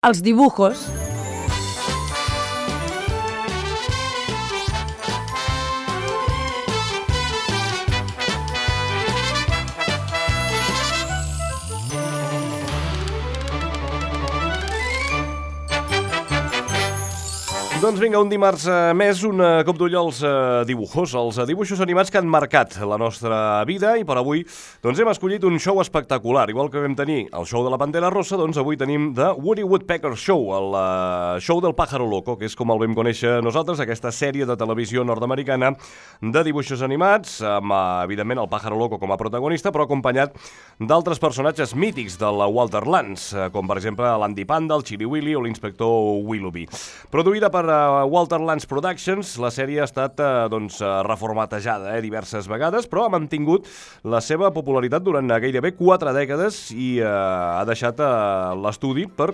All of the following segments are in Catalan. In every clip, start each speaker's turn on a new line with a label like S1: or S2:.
S1: Els dibujos.
S2: Doncs vinga, un dimarts més, un cop d'ull als dibujos, els dibuixos animats que han marcat la nostra vida, i per avui doncs hem escollit un show espectacular. Igual que vam tenir el show de la Pantera Rosa, doncs avui tenim The Woody Woodpecker Show, el show del Pájaro Loco, que és com el vam conèixer nosaltres, aquesta sèrie de televisió nord-americana de dibuixos animats, amb evidentment el Pájaro Loco com a protagonista, però acompanyat d'altres personatges mítics del Walter Lantz, com per exemple l'Andy Panda, el Chili Willy o l'inspector Willoughby. Produïda per Walter Lantz Productions, la sèrie ha estat reformatejada diverses vegades, però ha mantingut la seva popularitat durant gairebé 4 dècades i ha deixat l'estudi per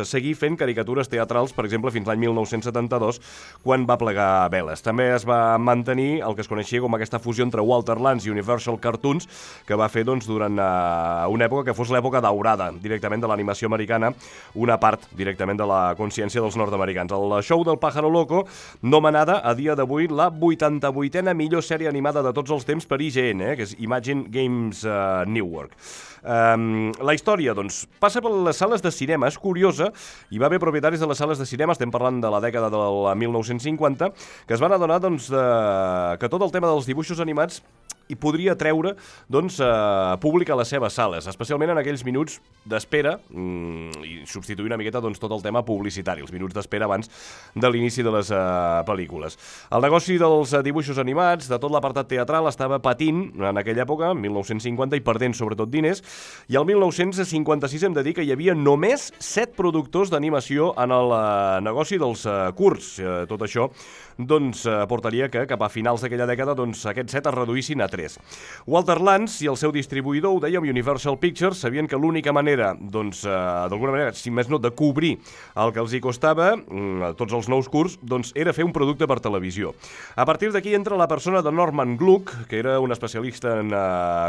S2: seguir fent caricatures teatrals, per exemple, fins l'any 1972, quan va plegar veles. També es va mantenir el que es coneixia com aquesta fusió entre Walter Lantz i Universal Cartoons, que va fer durant una època que fos l'època daurada directament de l'animació americana, una part directament de la consciència dels nord-americans. El show del Pájaro Loco, nomenada a dia d'avui la 88a millor sèrie animada de tots els temps per IGN, que és Imagine Games Network. La història, passa per les sales de cinema. És curiosa, hi va haver propietaris de les sales de cinema, estem parlant de la dècada del 1950, que es van adonar que tot el tema dels dibuixos animats i podria treure públic a les seves sales, especialment en aquells minuts d'espera i substituir una miqueta tot el tema publicitari, els minuts d'espera abans de l'inici de les pel·lícules. El negoci dels dibuixos animats, de tot l'apartat teatral, estava patint en aquella època, en 1950, i perdent sobretot diners, i el 1956 hem de dir que hi havia només 7 productors d'animació en el negoci dels curts. Tot això portaria que cap a finals d'aquella dècada aquests 7 es reduïssin a 3. Walter Lantz i el seu distribuïdor, ho dèiem, Universal Pictures, sabien que l'única manera, d'alguna manera, si més no, de cobrir el que els hi costava, tots els nous curts, era fer un producte per televisió. A partir d'aquí entra la persona de Norman Gluck, que era un especialista en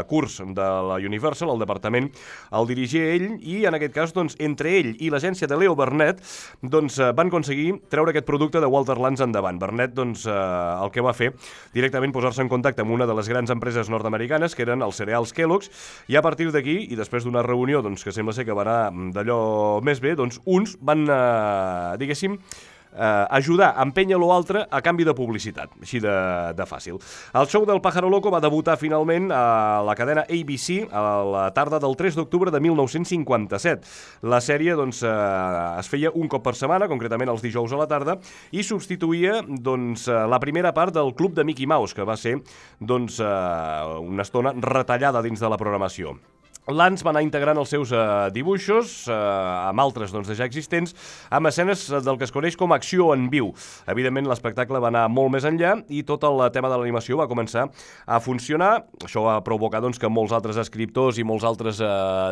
S2: curts de la Universal, el departament el dirigia ell, i en aquest cas, entre ell i l'agència de Leo Burnett, van aconseguir treure aquest producte de Walter Lantz endavant. Burnett, el que va fer, directament posar-se en contacte amb una de les grans empreses nord-americanes, que eren els cereals Kellogg's, i a partir d'aquí, i després d'una reunió que sembla ser que va anar d'allò més bé, uns van, diguéssim, ajudar a empènyer l'altre a canvi de publicitat, així de fàcil. El show del Pájaro Loco va debutar finalment a la cadena ABC a la tarda del 3 d'octubre de 1957. La sèrie es feia un cop per setmana, concretament els dijous a la tarda, i substituïa la primera part del Club de Mickey Mouse, que va ser una estona retallada dins de la programació. Lantz va anar integrant els seus dibuixos amb altres ja existents, amb escenes del que es coneix com acció en viu. Evidentment, l'espectacle va anar molt més enllà i tot el tema de l'animació va començar a funcionar. Això va provocar que molts altres escriptors i molts altres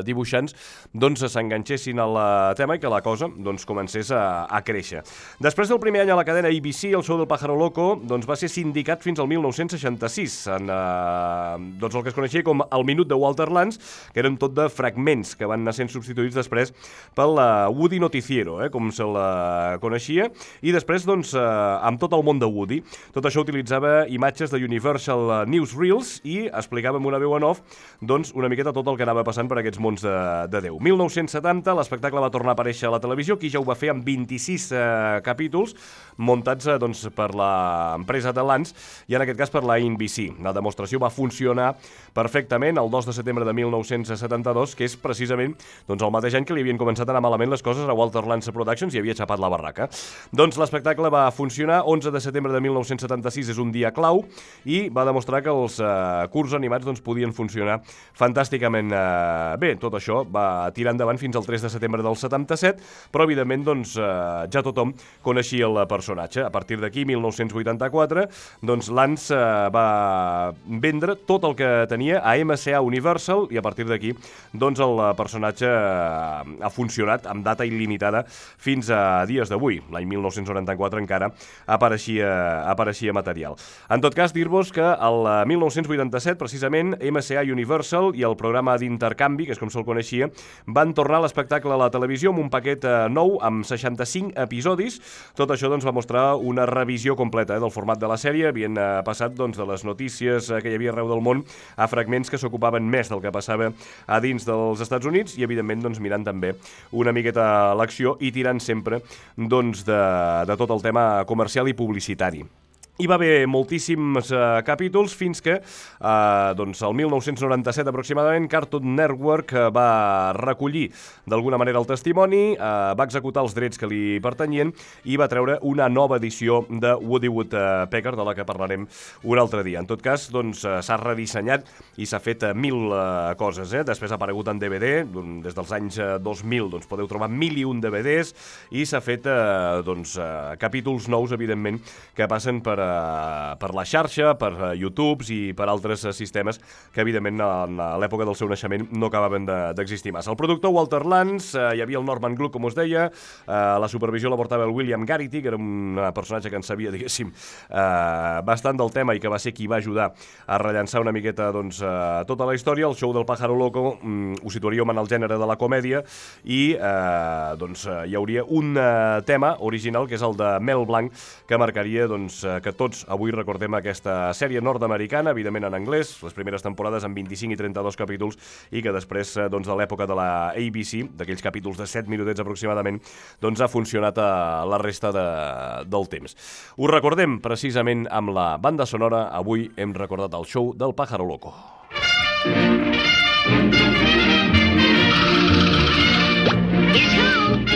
S2: dibuixants s'enganxessin al tema i que la cosa comencés a créixer. Després del primer any a la cadena ABC, el show del Pájaro Loco va ser sindicat fins al 1966 en el que es coneixia com el minut de Walter Lantz, que eren tot de fragments que van anar sent substituïts després pel Woody Noticiero, com se'l coneixia, i després amb tot el món de Woody. Tot això utilitzava imatges de Universal Newsreels i explicava amb una veu en off una miqueta tot el que anava passant per aquests mons de Déu. 1970 l'espectacle va tornar a aparèixer a la televisió, aquí ja ho va fer amb 26 capítols muntats per l'empresa de Lantz i en aquest cas per la NBC. La demostració va funcionar perfectament el 2 de setembre de 1972, que és precisament el mateix any que li havien començat a anar malament les coses a Walter Lantz Productions i havia xapat la barraca. L'espectacle va funcionar. 11 de setembre de 1976 és un dia clau i va demostrar que els curts animats podien funcionar fantàsticament bé. Tot això va tirar endavant fins al 3 de setembre del 77, però evidentment ja tothom coneixia el personatge. A partir d'aquí, 1984, Lantz va vendre tot el que tenia a MCA Universal i a partir d'aquí aquí, doncs el personatge ha funcionat amb data il·limitada fins a dies d'avui. L'any 1994 encara apareixia material. En tot cas, dir-vos que el 1987, precisament, MCA Universal i el programa d'intercanvi, que és com se'l coneixia, van tornar a l'espectacle a la televisió amb un paquet nou, amb 65 episodis. Tot això doncs, va mostrar una revisió completa del format de la sèrie. Havien passat doncs, de les notícies que hi havia arreu del món a fragments que s'ocupaven més del que passava a dins dels Estats Units i, evidentment, doncs, mirant també una miqueta l'acció i tirant sempre doncs, de tot el tema comercial i publicitari. Hi va haver moltíssims capítols fins que doncs el 1997 aproximadament Cartoon Network va recollir d'alguna manera el testimoni, va executar els drets que li pertanyien i va treure una nova edició de Woody Woodpecker, de la que parlarem un altre dia. En tot cas, doncs, s'ha redissenyat i s'ha fet mil coses. Després ha aparegut en DVD, des dels anys 2000 doncs, podeu trobar 1001 DVDs i s'ha fet doncs, capítols nous, evidentment, que passen per la xarxa, per YouTube i per altres sistemes que, evidentment, a l'època del seu naixement no acabaven d'existir massa. El productor Walter Lantz, hi havia el Norman Gluck, com us deia, la supervisió la portava el William Garrity, que era un personatge que en sabia, diguéssim, bastant del tema i que va ser qui va ajudar a rellançar una miqueta doncs, tota la història. El show del Pájaro Loco ho situaríem en el gènere de la comèdia i doncs, hi hauria un tema original, que és el de Mel Blanc, que marcaria doncs, que tots avui recordem aquesta sèrie nord-americana, evidentment en anglès, les primeres temporades amb 25 i 32 capítols i que després doncs, de l'època de la ABC, d'aquells capítols de 7 minutets aproximadament, doncs ha funcionat a la resta del temps. Ho recordem precisament amb la banda sonora. Avui hem recordat el show del Pájaro Loco.
S1: Here's home.